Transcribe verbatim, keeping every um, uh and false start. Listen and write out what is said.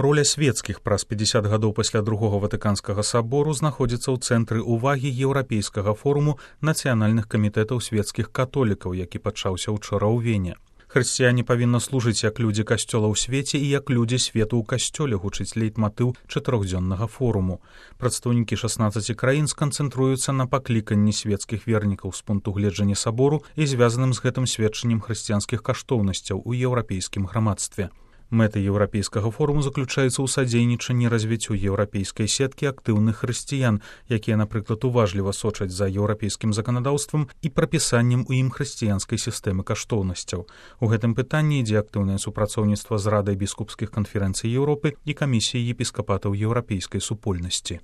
Роля свецкіх праз пятьдесят гадоў пасля другога ватыканскага сабору знаходзіцца ў цэнтры ўвагі еўрапейскага форуму нацыянальных камітэтаў свецкіх католікаў, які пачаўся ўчора ў Вене. Хрысціяне павінны служыць як людзі касцёла ў свеце і як людзі свету ў касцёле, гучыць лейтматыў чатырохдзённага форуму. Прадстаўнікі шаснаццаці краін сканцэнтруюцца на пакліканні свецкіх вернікаў з пункту гледжання сабору і звязаным з гэтым сведчаннем хрысціянскіх каштоўнасцяў у еўрапейскім грамадстве. Мэта еўрапейскага форуму заключаецца ў садзейнічанні развіццю еўрапейскай сеткі актыўных хрысціян, якія, напрыклад, уважліва сочаць за еўрапейскім заканадаўствам і прапісаннем у ім хрысціянскай сістэмы каштоўнасцяў. У гэтым пытанні ідзе актыўнае супрацоўніцтва з Радай біскупскіх канферэнцый Еўропы і камісіяй епіскапатаў еўрапейскай супольнасці.